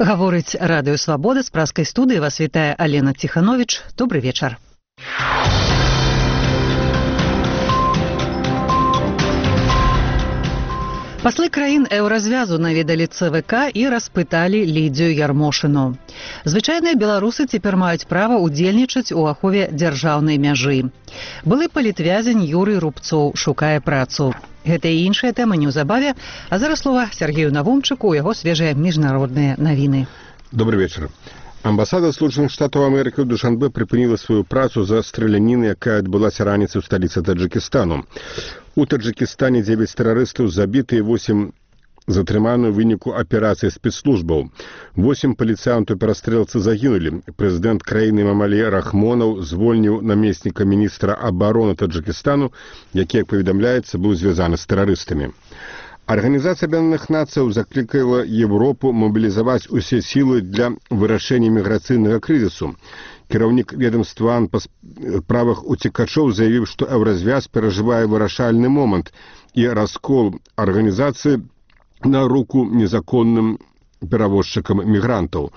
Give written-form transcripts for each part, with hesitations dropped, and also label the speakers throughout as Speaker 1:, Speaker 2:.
Speaker 1: Гаворыць радыё Свабода, з праскай студыі вас вітае Алена Ціхановіч. Добры вечар. Паслы краін еўразвязу наведалі ЦВК і распыталі Лідзію Ярмошыну. Звычайныя беларусы цяпер маюць права ўдзельнічаць у ахове дзяржаўнай мяжы. Былы палітвязень Юрый Рубцоў шукае працу. Гэта і іншая тэма неўзабаве, а зараз слова Сергею Навумчыку, у яго свежыя міжнародныя навіны.
Speaker 2: Добрый вечер. Амбасада Злучаных Штатаў Амерыкі ў Душанбе прыпыніла сваю працу за страляніну, якая адбылася раніцай у сталіцы Таджыкістану. У Таджыкістане 9 тэрарыстаў забіты і 8 затрыманы ў выніку аперацыі спецслужбаў. 8 паліцыянтаў перастрэлцы загінулі. Прэзідэнт краіны Мамалі Рахмонаў звольніў намесніка міністра абароны Таджыкістану, які, як паведамляецца, быў звязаны з тэрарыстамі. Арганізацыя Аб'яднаных Нацыяў заклікала Европу мобілізаваць усе сілы для вырашэння міграцыйнага крызісу. Кіраўнік ведомства па справах уцекачоў заявіў, што еўразвяз перажывае вырашальны момант і раскол арганізацыі на руку незаконным перавозчыкам мігрантаў.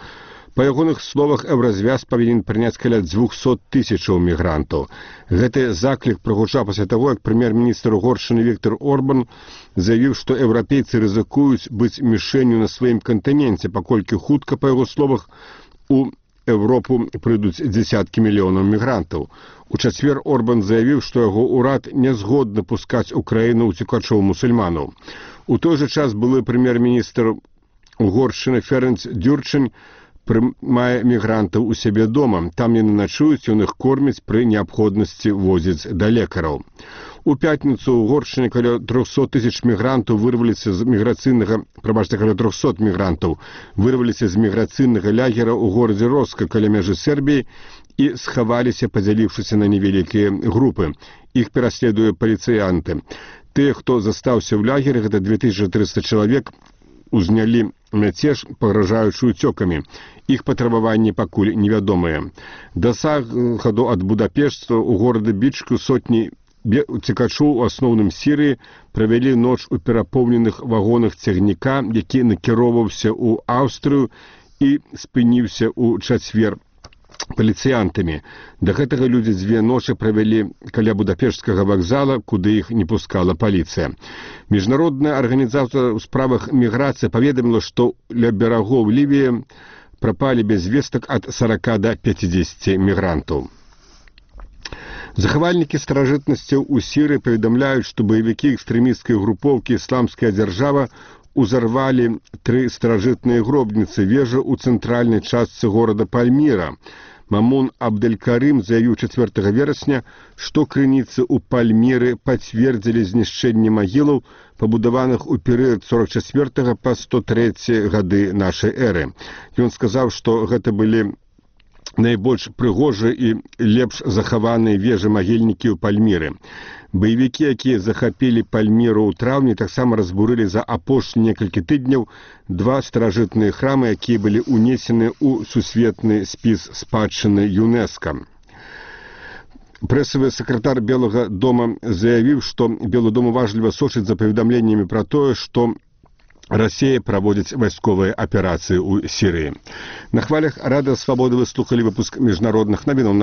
Speaker 2: Па ягоных словах, еўразвяз павінен прыняць каля 200 тысячаў мігрантаў. Гэты заклік прагучаў пасля таго, як прэм'ер-міністр Угоршчыны Віктор Орбан заявіў, што еўрапейцы рызыкуюць быць мішэнню на сваім кантыненце, паколькі хутка, па яго словах, у Европу прыйдуць дзесяткі мільёнаў мігрантаў. У чацвер Орбан заявіў, што яго ўрад не згодны пускаць у краіну уцекачоў-мусульманаў. У той жа час былы прэм'ер-міністр Угоршчыны Ференц Дюрчань прымае мігрантаў у сябе дома. Там яны начуюць, ён іх корміць, пры неабходнасці возіць да лекараў. У пятніцу ў Угоршчыне каля 300 тысяч мігрантаў вырваліся з міграцыйнага, каля 300 мігрантаў вырваліся з міграцыйнага лагера ў горадзе Роска каля мяжы Сербіі і схаваліся, падзяліўшыся на невялікія групы. Іх пераследуе паліцыянты. Тыя, хто застаўся ў лагеры, гэта 2300 чалавек, узнялі мяцеж, пагражаючы уцёкамі. Іх патрабаванні пакуль невядомыя. Да захаду ад Будапешта ў горады Бічку сотні уцекачоў, у асноўным Сірыі, правялі ноч у перапоўненых вагонах цягніка, які накіроўваўся ў Аўстрыю і спыніўся ў чацвер паліцыянтамі. Да гэтага людзі 2 ночы правялі каля Будапешцкага вакзала, куды іх не пускала паліцыя. Міжнародная арганізацыя ў справах міграцыі паведаміла, што ля берагоў Лівіі прапалі без вестак ад 40 да 50 мігрантаў. Захавальнікі старажытнасцяў у Сірыі паведамляюць, што баевікі экстрэмісцкай групоўкі «Ісламская дзяржава» узарвалі 3 старажытныя гробніцы вежы ў цэнтральнай частцы горада Пальміра. Мамун Абделькарым заявіў 4 верасня, што крыніцы ў Пальміры пацвердзілі знішчэнне магілаў, пабудаваных у перыяд 44 па 103 гады нашай эры. Ён сказаў, што гэта былі найбольш прыгожыя і лепш захаваныя вежы-магільнікі ў Пальміры. Баевікі, якія захапілі Пальміру ў траўні, таксама разбурылі за апошнія некалькі тыдняў 2 старажытныя храмы, якія былі ўнесены ў сусветны спіс спадчыны ЮНЕСКО. Прэсавы сакратар Белага дома заявіў, што Белы дом уважліва сочыць за паведамленнямі пра тое, што Расія праводзіць вайсковыя аперацыі ў Сірыі. На хвалях Радыё Свабоды вы слухалі выпуск міжнародных навінаў.